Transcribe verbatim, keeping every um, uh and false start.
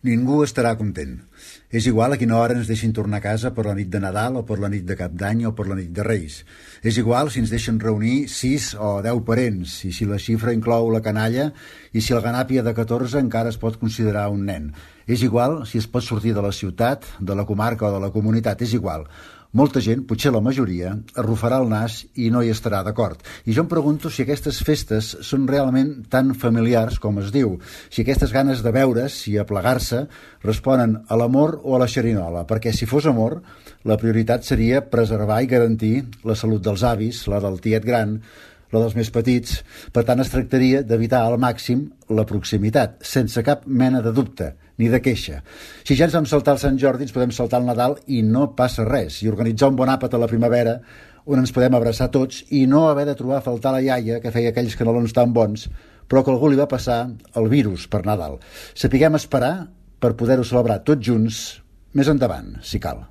Ningú estarà content. És igual a quina hora ens deixin tornar a casa per la nit de Nadal o per la nit de Cap d'Any o per la nit de Reis. És igual si ens deixen reunir sis o deu parents, i si la xifra inclou la canalla, i si el ganàpia de catorze encara es pot considerar un nen. És igual si es pot sortir de la ciutat, de la comarca o de la comunitat, és igual. Molta gent, potser la majoria, arrufarà el nas i no hi estarà d'acord. I jo em pregunto si aquestes festes són realment tan familiars com es diu, si aquestes ganes de veure's i aplegar-se responen a l'amor o a la xerinola, perquè si fos amor, la prioritat seria preservar i garantir la salut dels avis, la del tiet gran, la dels més petits. Per tant, es tractaria d'evitar al màxim la proximitat, sense cap mena de dubte, ni de queixa. Si ja ens vam saltar el Sant Jordi, ens podem saltar el Nadal i no passa res, i organitzar un bon àpat a la primavera on ens podem abraçar tots i no haver de trobar a faltar la iaia que feia aquells canelons tan bons, però que algú li va passar el virus per Nadal. Sapiguem esperar per poder-ho celebrar tots junts més endavant, si cal.